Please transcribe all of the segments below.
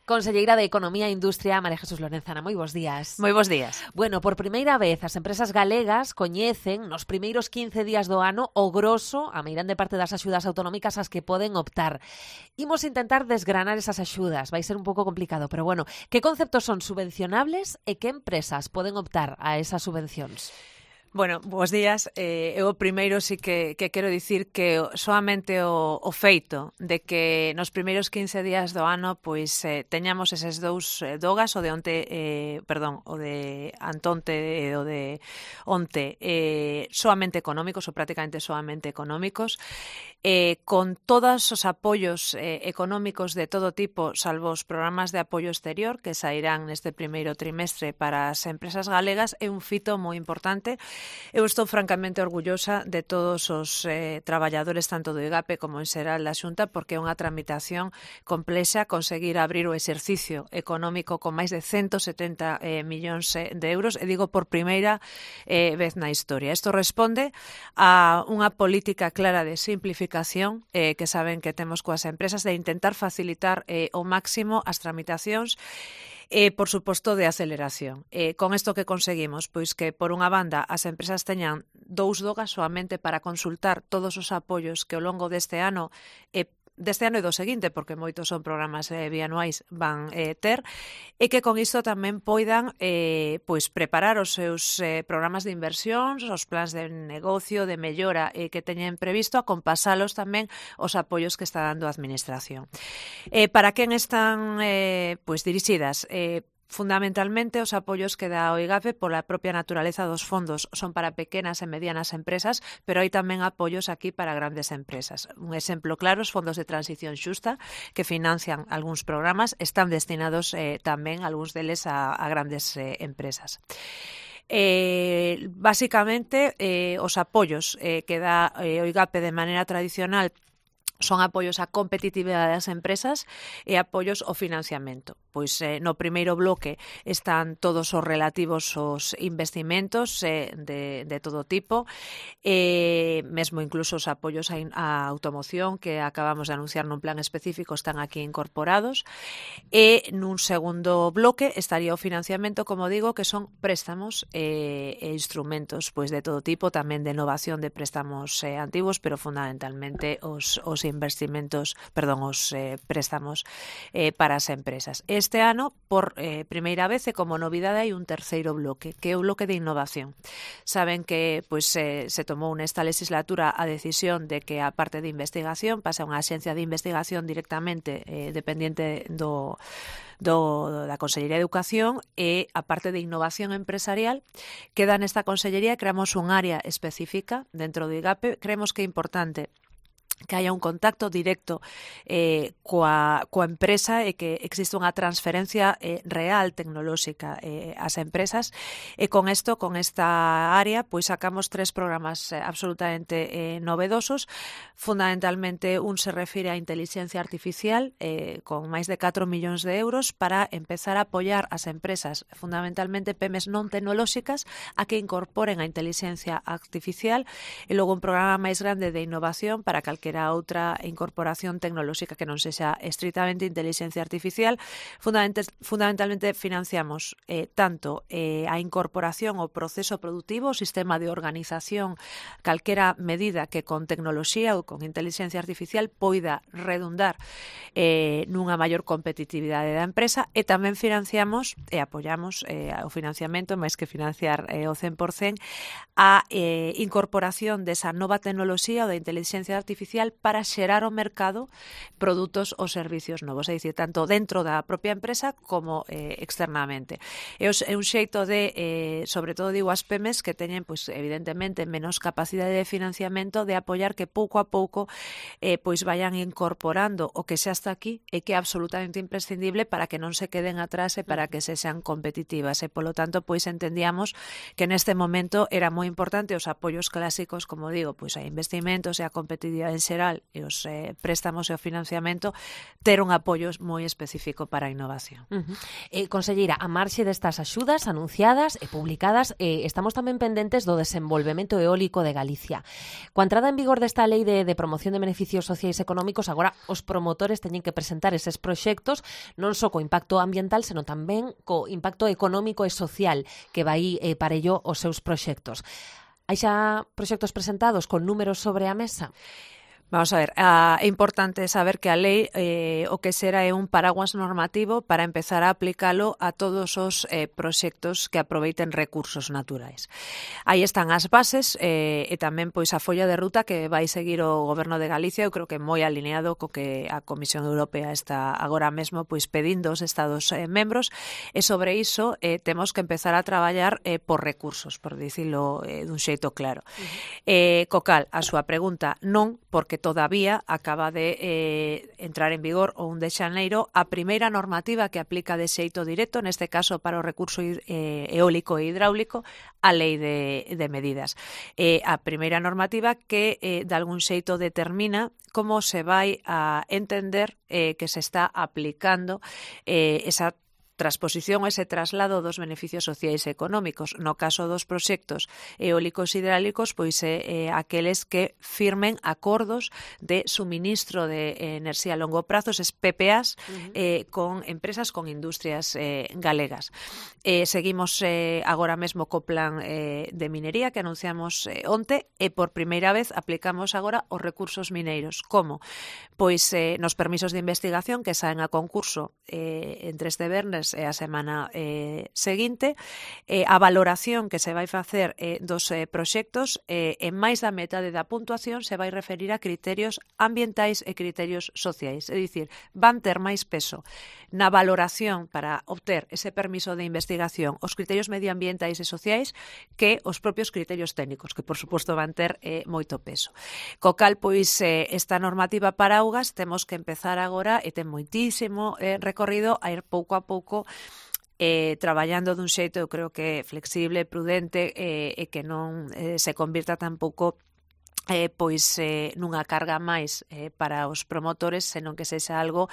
Conselleira de Economía e Industria, María Jesús Lorenzana, moi bons días. Moi bons días. Bueno, por primeira vez as empresas galegas coñecen nos primeiros 15 días do ano o groso, a meirande parte das axudas autonómicas ás que poden optar. Imos intentar desgranar esas axudas, vai ser un pouco complicado, pero bueno, que conceptos son subvencionables e que empresas poden optar a esas subvencións? Bueno, bons días. Eu primeiro sí que quero dicir que soamente o feito de que nos primeiros 15 días do ano pois teñamos eses dous dogas, o de onte, o de antonte e o de onte, soamente económicos ou prácticamente soamente económicos, con todos os apoios económicos de todo tipo, salvo os programas de apoio exterior que sairán neste primeiro trimestre para as empresas galegas, é un fito moi importante. Eu estou francamente orgullosa de todos os traballadores tanto do IGAPE como en xeral da Xunta, porque é unha tramitación complexa conseguir abrir o exercicio económico con máis de 170 millóns de euros, e digo por primeira vez na historia. Isto responde a unha política clara de simplificación que saben que temos coas empresas, de intentar facilitar ao máximo as tramitacións, por suposto, de aceleración. Con isto que conseguimos? Pois que, por unha banda, as empresas teñan dous dogas soamente para consultar todos os apoios que ao longo deste ano e do seguinte, porque moitos son programas bianuais, van ter, e que con isto tamén poidan pois preparar os seus programas de inversións, os plans de negocio, de mellora que teñen previsto, a compasalos tamén os apoios que está dando a Administración. Para quen están pois dirixidas? Fundamentalmente, os apoios que dá o IGAPE pola propia naturaleza dos fondos son para pequenas e medianas empresas, pero hai tamén apoios aquí para grandes empresas. Un exemplo claro, os fondos de transición xusta, que financian algúns programas, están destinados tamén, algúns deles, a grandes empresas. Básicamente, os apoios que dá o IGAPE de maneira tradicional son apoios á competitividade das empresas e apoios ao financiamento. Pois no primeiro bloque están todos os relativos aos investimentos de todo tipo, mesmo incluso os apoios á automoción que acabamos de anunciar nun plan específico están aquí incorporados, e nun segundo bloque estaría o financiamento, como digo, que son préstamos e instrumentos pois de todo tipo, tamén de innovación de préstamos antigos, pero fundamentalmente os préstamos para as empresas. Este ano, por primeira vez e como novidade, hai un terceiro bloque, que é o bloque de innovación. Saben que pois se tomou nesta legislatura a decisión de que a parte de investigación pase a unha axencia de investigación directamente dependiente da Consellería de Educación, e a parte de innovación empresarial queda nesta Consellería. Creamos un área específica dentro do IGAPE. Creemos que é importante que haya un contacto directo coa empresa e que existe unha transferencia real tecnolóxica ás empresas, e con esta área pois sacamos 3 programas absolutamente novedosos. Fundamentalmente un se refire á inteligencia artificial con máis de 4 millóns de euros para empezar a apoiar as empresas, fundamentalmente PEMES non tecnolóxicas, a que incorporen a inteligencia artificial, e logo un programa máis grande de innovación para calquera outra incorporación tecnolóxica que non sexa estritamente inteligencia artificial. Fundamentalmente financiamos tanto a incorporación ao proceso productivo, o sistema de organización, calquera medida que con tecnoloxía ou con inteligencia artificial poida redundar nunha maior competitividade da empresa, e tamén financiamos e apoiamos o financiamento, máis que financiar o 100%, a incorporación desa nova tecnoloxía ou da inteligencia artificial para xerar ao mercado produtos ou servicios novos, é dicir, tanto dentro da propia empresa como externamente. É un xeito de, sobre todo digo as PEMES que teñen, pois, evidentemente, menos capacidade de financiamento, de apoiar que pouco a pouco pois vayan incorporando o que xa está aquí e que é absolutamente imprescindible para que non se queden atrás e para que se sean competitivas. E, polo tanto, pois entendíamos que neste momento era moi importante os apoios clásicos, como digo, pois a investimentos e a competitividade en xeral e os préstamos e o financiamento, ter un apoio moi específico para a innovación. Conselleira, a marxe destas axudas anunciadas e publicadas, estamos tamén pendentes do desenvolvemento eólico de Galicia. Coa entrada en vigor desta lei de promoción de beneficios sociais e económicos, agora os promotores teñen que presentar eses proxectos non só co impacto ambiental, senón tamén co impacto económico e social que vai para ello os seus proxectos. Hai xa proxectos presentados con números sobre a mesa? Vamos a ver, é importante saber que a lei o que será é un paraguas normativo para empezar a aplicalo a todos os proxectos que aproveiten recursos naturais. Aí están as bases e tamén pois a folla de ruta que vai seguir o Goberno de Galicia, eu creo que moi alineado co que a Comisión Europea está agora mesmo pois pedindo aos Estados membros, e sobre iso temos que empezar a traballar por recursos, por dicilo dun xeito claro. Co cal, a súa pregunta non, porque todavía acaba de entrar en vigor o 1 de xaneiro a primeira normativa que aplica de xeito directo, neste caso para o recurso eólico e hidráulico, a lei de medidas. A primeira normativa que de algún xeito determina como se vai a entender que se está aplicando esa transposición, ese traslado dos beneficios sociais e económicos. No caso dos proxectos eólicos e hidráulicos, pois aqueles que firmen acordos de suministro de enerxía a longo prazo, es PPAs, con empresas, con industrias galegas. Seguimos agora mesmo co plan de minería que anunciamos onte, e por primeira vez aplicamos agora os recursos mineiros. Como? Pois nos permisos de investigación que saen a concurso entre este venres e a semana seguinte, a valoración que se vai facer dos proxectos, en máis da metade da puntuación se vai referir a criterios ambientais e criterios sociais, é dicir, van ter máis peso na valoración para obter ese permiso de investigación os criterios medioambientais e sociais que os propios criterios técnicos, que por suposto van ter moito peso. Co cal, pois, esta normativa para augas temos que empezar agora, e ten moitísimo recorrido, a ir pouco a pouco traballando dun xeito, eu creo que flexible, prudente, e que non se convirta tampouco nunha carga máis para os promotores, senón que sexa algo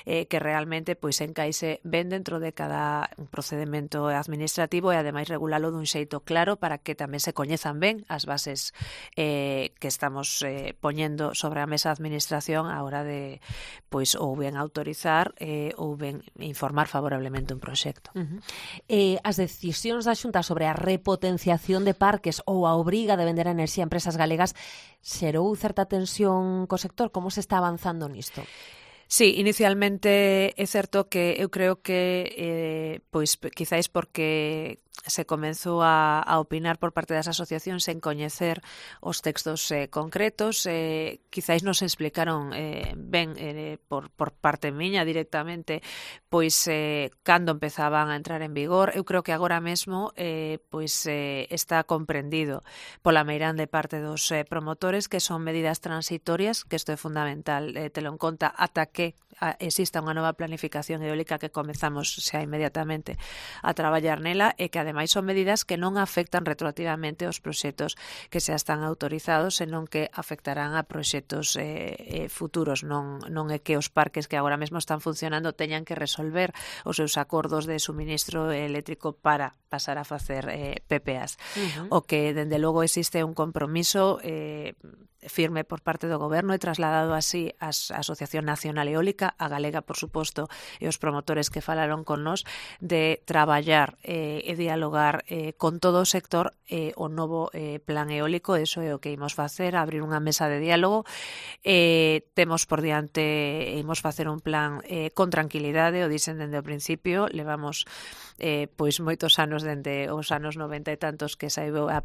que realmente pois encaixe ben dentro de cada procedemento administrativo e ademais regulalo dun xeito claro para que tamén se coñezan ben as bases que estamos poñendo sobre a mesa de administración a hora de pois ou ben autorizar ou ben informar favorablemente un proxecto. As decisións da Xunta sobre a repotenciación de parques ou a obriga de vender a enerxía a empresas galegas xerou certa tensión co sector? Como se está avanzando nisto? Sí, inicialmente é certo que eu creo que pois quizáis porque se comenzou a opinar por parte das asociacións sen coñecer os textos concretos, quizáis non se explicaron ben por parte miña directamente pois cando empezaban a entrar en vigor. Eu creo que agora mesmo pois está comprendido pola meirande parte dos promotores que son medidas transitorias, que isto é fundamental telo en conta ata que exista unha nova planificación eólica que comezamos xa inmediatamente a traballar nela, e que ademais son medidas que non afectan retroactivamente aos proxectos que xa están autorizados, senón que afectarán a proxectos futuros. Non é que os parques que agora mesmo están funcionando teñan que resolver os seus acordos de suministro eléctrico para pasar a facer PPAs. O que, dende logo, existe un compromiso firme por parte do Goberno e trasladado así a Asociación Nacional Eólica, a galega, por suposto, e os promotores que falaron con nós, de traballar e dialogar con todo o sector o novo plan eólico. Eso é o que imos facer, abrir unha mesa de diálogo. Temos por diante, imos facer un plan con tranquilidade, o dicen dende o principio, levamos pois moitos anos, dende os anos 90 e tantos que saiu a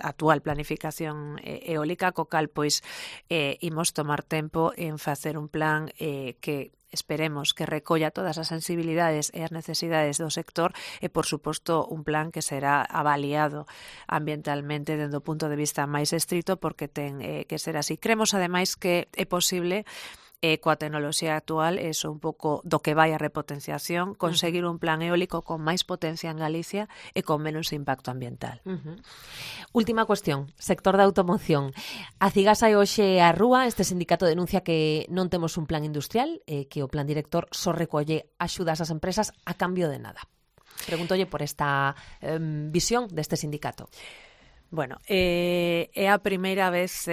actual planificación eólica, co cal pois imos tomar tempo en facer un plan que esperemos que recolla todas as sensibilidades e as necesidades do sector e, por suposto, un plan que será avaliado ambientalmente dende o punto de vista máis estrito, porque ten que ser así. Cremos, ademais, que é posible coa tecnoloxía actual, eso un pouco do que vai a repotenciación, conseguir un plan eólico con máis potencia en Galicia e con menos impacto ambiental. Última cuestión, sector da automoción. A Cigas hai hoxe a rúa, este sindicato denuncia que non temos un plan industrial, que o plan director só recolle axudas ás empresas a cambio de nada. Preguntolle por esta visión deste sindicato. Bueno, é a primeira vez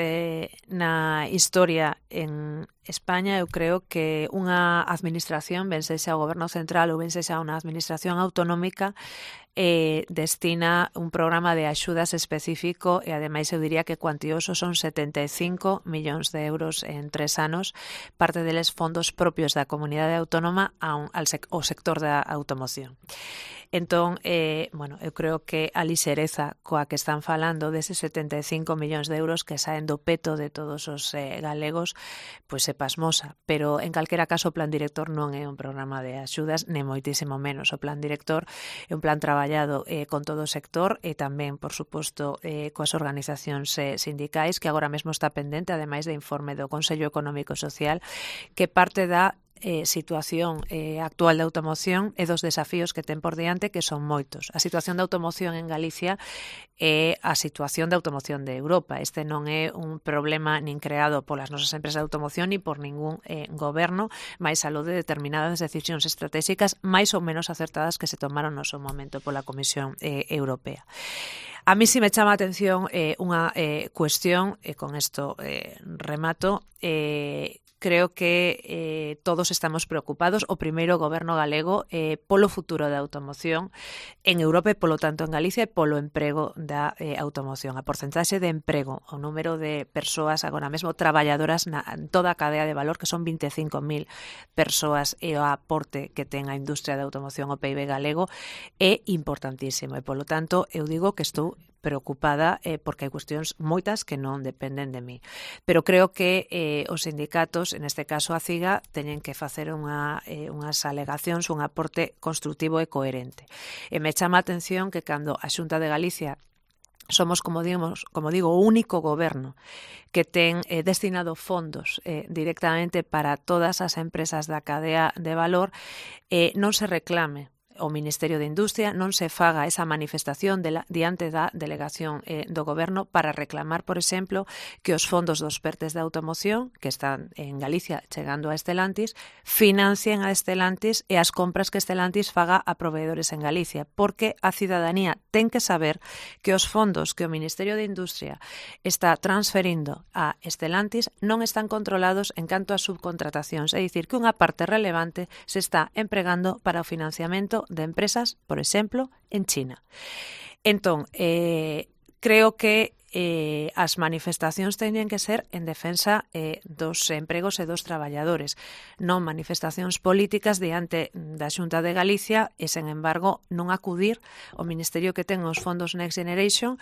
na historia en España, eu creo que unha administración, ben sexa o goberno central ou ben sexa unha administración autonómica, destina un programa de axudas específico e ademais eu diría que cuantioso, son 75 millóns de euros en 3 anos, parte deles fondos propios da comunidade autónoma ao sector da automoción. Entón, bueno, eu creo que a lixereza coa que están falando deses 75 millóns de euros que saen do peto de todos os galegos, pois é pasmosa, pero en calquera caso o plan director non é un programa de axudas, nem moitísimo menos. O plan director é un plan traballado con todo o sector e tamén, por suposto, coas organizacións sindicais, que agora mesmo está pendente, ademais de informe do Consello Económico e Social, que parte da situación actual da automoción e dos desafíos que ten por diante, que son moitos. A situación da automoción en Galicia é a situación da automoción de Europa. Este non é un problema nin creado polas nosas empresas de automoción ni por ningún goberno, máis aló de determinadas decisións estratégicas máis ou menos acertadas que se tomaron no seu momento pola Comisión Europea. A mí si me chama a atención unha cuestión, e con isto remato, creo que todos estamos preocupados, o primeiro goberno galego, polo futuro da automoción en Europa e, polo tanto, en Galicia e polo emprego da automoción. A porcentaxe de emprego, o número de persoas agora mesmo traballadoras en toda a cadea de valor, que son 25.000 persoas, e o aporte que ten a industria da automoción ao PIB galego é importantísimo. E, polo tanto, eu digo que estou preocupada porque hai cuestións moitas que non dependen de mí. Pero creo que os sindicatos, en este caso a CIGA, teñen que facer unhas alegacións, un aporte construtivo e coherente. E me chama a atención que cando a Xunta de Galicia somos, como digo, o único goberno que ten destinado fondos directamente para todas as empresas da cadea de valor, non se reclame o Ministerio de Industria, non se faga esa manifestación diante da delegación do Goberno para reclamar, por exemplo, que os fondos dos PERTES de automoción, que están en Galicia chegando a Stellantis, financien a Stellantis e as compras que Stellantis faga a proveedores en Galicia, porque a cidadanía ten que saber que os fondos que o Ministerio de Industria está transferindo a Stellantis non están controlados en canto a subcontratacións, é dicir, que unha parte relevante se está empregando para o financiamento de empresas, por exemplo, en China. Entón, creo que as manifestacións teñen que ser en defensa dos empregos e dos traballadores, non manifestacións políticas diante da Xunta de Galicia e, sen embargo, non acudir ao Ministerio que ten os fondos Next Generation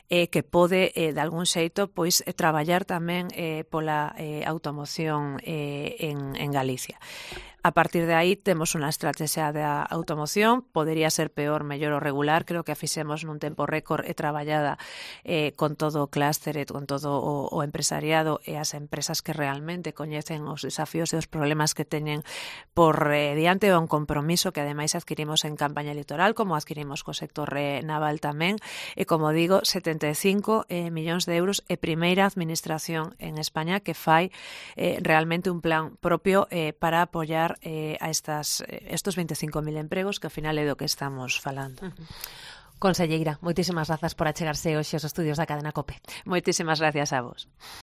que pode, de algún xeito, pois traballar tamén pola automoción en Galicia. A partir de aí temos unha estrategia da automoción, podería ser peor, mellor ou regular, creo que a fixemos nun tempo récord e traballada con todo o clúster e con todo o empresariado e as empresas que realmente coñecen os desafíos e os problemas que teñen por diante, o un compromiso que ademais adquirimos en campaña electoral, como adquirimos co sector naval tamén, e como digo, 75 millóns de euros e primeira administración en España que fai realmente un plan propio para apoiar a estos 25.000 empregos que ao final é do que estamos falando. Conselleira, moitísimas grazas por achegarse hoxe aos estudios da Cadena COPE. Moitísimas gracias a vos.